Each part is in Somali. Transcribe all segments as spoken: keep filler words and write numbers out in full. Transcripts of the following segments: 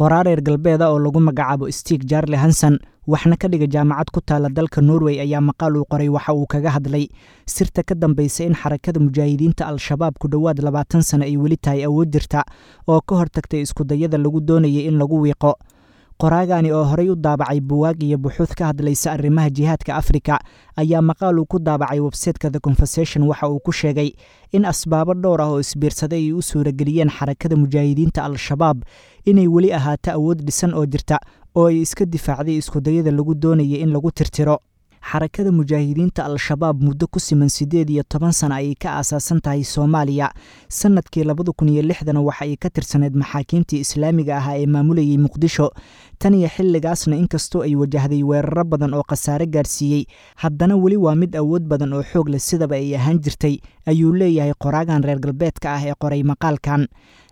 Qoraa reer galbeeda oo lagu magacaabo Stig Jarle Hansen, waxna ka dhiga jaamacad ku taala dalka Norway, ayaa maqaal uu qoray waxa uu kaga hadlay sirta ka dambaysa in Xarakada Mujaahidiinta Al-Shabaab ku dhowaad labaatan sano ay weli tahay awood jirta oo ka hortagtay iskudayada lagu doonayay in lagu wiiqo. Qoraagani oo horey u daabacay buwaag iyo buxuud ka hadlaysa arrimaha jihaadka Afrika ayaa maqaal uu ku daabacay websayteka The Conversation waxa uu ku sheegay in asbaabo dhowr ah oo isbiirsaday ay u suurageliyeen Xarakada Mujaahidiinta Al-Shabaab inay weli ahaato awood dhisan oo jirta oo ay iska difaacday iskudayada lagu doonayay in lagu tirtiro. Xarakada Mujaahidiinta Al-Shabaab muddo ku siman siddeed iyo toban sano ayay ka aasaasan tahay Soomaaliya. Sannadkii labada kun iyo lixdana waxa ay ka tirsaneyd maxaakiimtii islaamiga ahaa ee maamulayay Muqdisho. Tan iyo xilligaasna, inkastoo ay wajahday weeraro badan oo khasaare gaarsiiyey, haddana weli waa mid awood badan oo xoog leh sidaba ay ahaan jirtay, ayuu leeyahay qoraagan reer galbeedka ah ee qoray maqaalkan.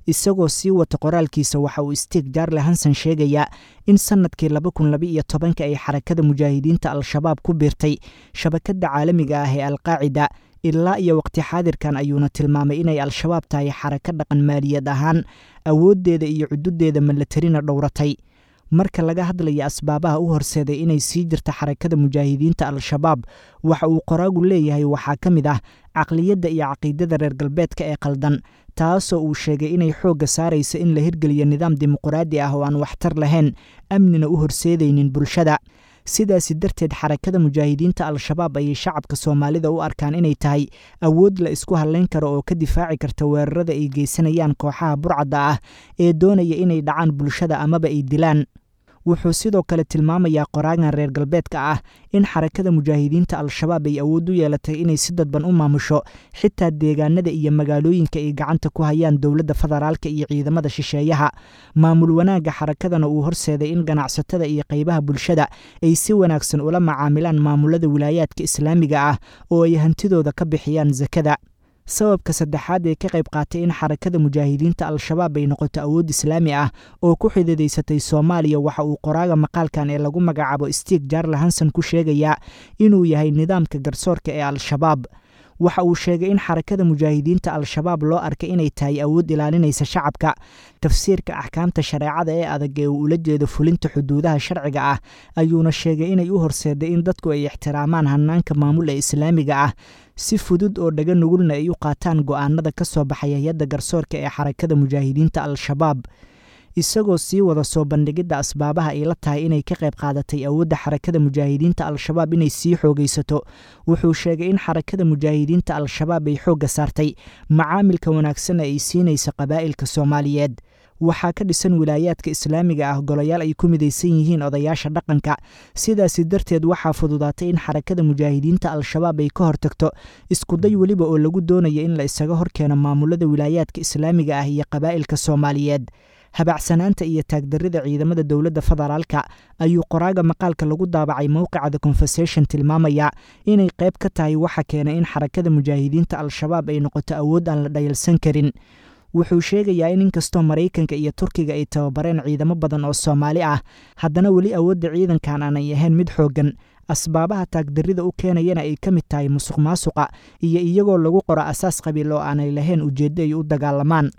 Isagoo sii wata qoraalkiisa, waxa uu Stig Jarle Hansen sheegayaa in sannadkii laba kun laba iyo tobanka ay Xarakada Mujaahidiinta Al-Shabaab ku biirtay shabakadda caalamiga ah ee Alqaacida. Ilaa iyo waqti xaadirkan ayuuna tilmaamay inay Al-Shabaab tahay xarako dhaqan maaliyad ahaan, awooddeeda iyo cududeeda milatarina dhowratay. Marka laga hadlaya asbaabaha u horseeday inay sii jirta Xarakada Mujaahidiinta Al-Shabaab, waxa uu qoraagu leeyahay waxaa ka mid ah caqliyadda iyo caqiidada reer galbeedka ee qaldan, taasoo uu sheegay inay xoogga saaraysa in la hirgeliyo nidaam dimuqraadi ah oo aan waxtar lahayn, amnina u horseedaynin bulshada. Sidaasi darteed, Xarakada Mujaahidiinta Al-Shabaab ayay shacabka Soomaalida u arkaan inay tahay awood la isku hallayn karo oo ka difaaci karta weerarada ay geysanayaan kooxaha burcadda ah ee doonaya inay dhacaan bulshada amaba ay dilaan. Wuxuu sidoo kale tilmaamayaa qoraagan reer galbeedka ah in Xarakada Mujaahidiinta Al-Shabaab ay awood u yeelatay inay si dadban u maamusho xitaa deegaanada iyo magaalooyinka ay gacanta ku hayaan dowladda federaalka iyo ciidamada shisheeyaha. Maamul wanaagga xarakadana uu horseeday in ganacsatada iyo qaybaha bulshada ay si wanaagsan ula macaamilaan maamulada wilaayaadka islaamiga ah oo ay hantidooda ka bixiyaan sakada. Sababka saddexaad ee ka qayb qaatay in Xarakada Mujaahidiinta Al-Shabaab ay noqoto awood islaami ah oo ku xididaysatay Soomaaliya, waxa uu qoraaga maqaalkan ee lagu magacaabo Stig Jarle Hansen ku sheegayaa inuu yahay nidaamka garsoorka ee Al-Shabaab. Waxa uu sheegay in Xarakada Mujaahidiinta Al-Shabaab loo arkay inay tahay awood ilaalinaysa shacabka. Tafsiirka axkaamta shareecada ee adag ee uu ula jeedo fulinta xuduudaha sharciga ah ayuuna sheegay inay u horseeday in dadku ay ixtiraamaan hanaanka maamul ee islaamiga ah, si fudud oo dhaga nugulna ay u qaataan go'aanada ka soo baxaya hay-adda garsoorka ee Xarakada Mujaahidiinta Al-Shabaab. Isagoo sii wada soo bandhigidda asbaabaha ay la tahay inay ka qayb qaadatay awoodda Xarakada Mujaahidiinta Al-Shabaab inay sii xoogaysato, wuxuu sheegay in Xarakada Mujaahidiinta Al-Shabaab ay xoogga saartay macaamilka wanaagsan ee ay siinaysa qabaa'ilka Soomaaliyeed. Waxaa ka dhisan wilaayaadka islaamiga ah golayaal ay ku midaysan yihiin odayaasha dhaqanka. Sidaasi darteed, waxaa fududaatay in Xarakada Mujaahidiinta Al-Shabaab ay ka hortagto iskuday weliba oo lagu doonayo in la isaga horkeeno maamulada wilaayaadka islaamiga ah iyo qabaa'ilka Soomaaliyeed. Habacsanaanta iyo taagdarrida ciidamada dowladda federaalka ayuu qoraaga maqaalka lagu daabacay mowqica The Conversation tilmaamaya inay qayb ka tahay waxa keenay in Xarakada Mujaahidiinta Al-Shabaab ay noqoto awood aan la dhayalsan karin. Wuxuu sheegayaa in inkastoo Maraykanka iyo Turkiga ay tababareen ciidamo badan oo Soomaali ah, haddana weli awoodda ciidankan aanay ahayn mid xooggan, asbaabaha taagdarrida u keenayana ay ka mid tahay musuq maasuqa iyo iyagoo lagu qoro asaas qabiil oo aanay lahayn ujeeddo ay u dagaalamaan.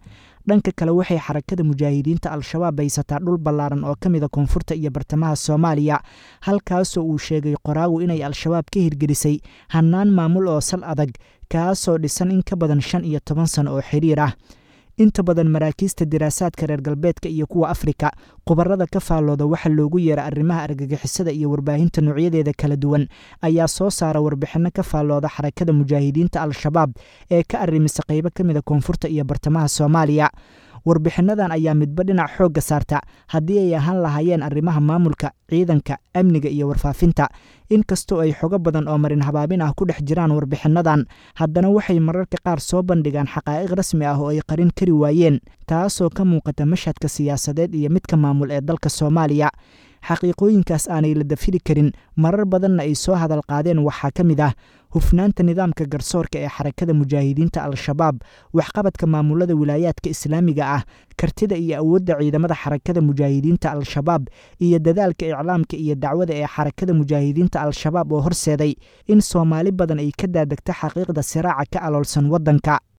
Dhanka kale, waxay Xarakada Mujaahidiinta Al-Shabaab haysataa dhul ballaaran oo ka mida koonfurta iyo bartamaha Soomaaliya, halkaasoo uu sheegay qoraagu inay Al-Shabaab ka hirgelisay hannaan maamul oo sal adag, kaasoo dhisan in ka badan shan iyo toban sano oo xiriir ah. Inta badan maraakiista diraasaadka reer galbeedka iyo kuwa Afrika, khubarada ka faallooda waxa loogu yeera arrimaha argagixisada iyo warbaahinta noocyadeeda kala duwan ayaa soo saara warbixinno ka faallooda Xarakada Mujaahidiinta Al-Shabaab ee ka arrimisa qaybo ka mida koonfurta iyo bartamaha Soomaaliya. Warbixinnadan ayaa midba dhinac xoogga saarta, haddii ay ahaan lahaayeen arrimaha maamulka, ciidanka, amniga iyo warfaafinta. Inkastoo ay xogo badan oo marin habaabin ah ku dhex jiraan warbixinnadan, haddana waxay mararka qaar soo bandhigaan xaqaa'iq rasmi ah oo ay qarin kari waayeen, taasoo ka muuqata mashhadka siyaasadeed iyo midka maamul ee dalka Soomaaliya. Xaqiiqooyinkaas aanay la dafiri karin, marar badanna ay soo hadal qaadeen, waxaa ka mid ah hufnaanta nidaamka garsoorka ee Xarakada Mujaahidiinta Al-Shabaab, waxqabadka maamulada wilaayaadka islaamiga ah, kartida iyo awoodda ciidamada Xarakada Mujaahidiinta Al-Shabaab, iyo dadaalka iclaamka iyo dacwada ee Xarakada Mujaahidiinta Al-Shabaab oo horseeday in Soomaali badan ay ka daadegto xaqiiqda siraaca ka aloolsan waddanka.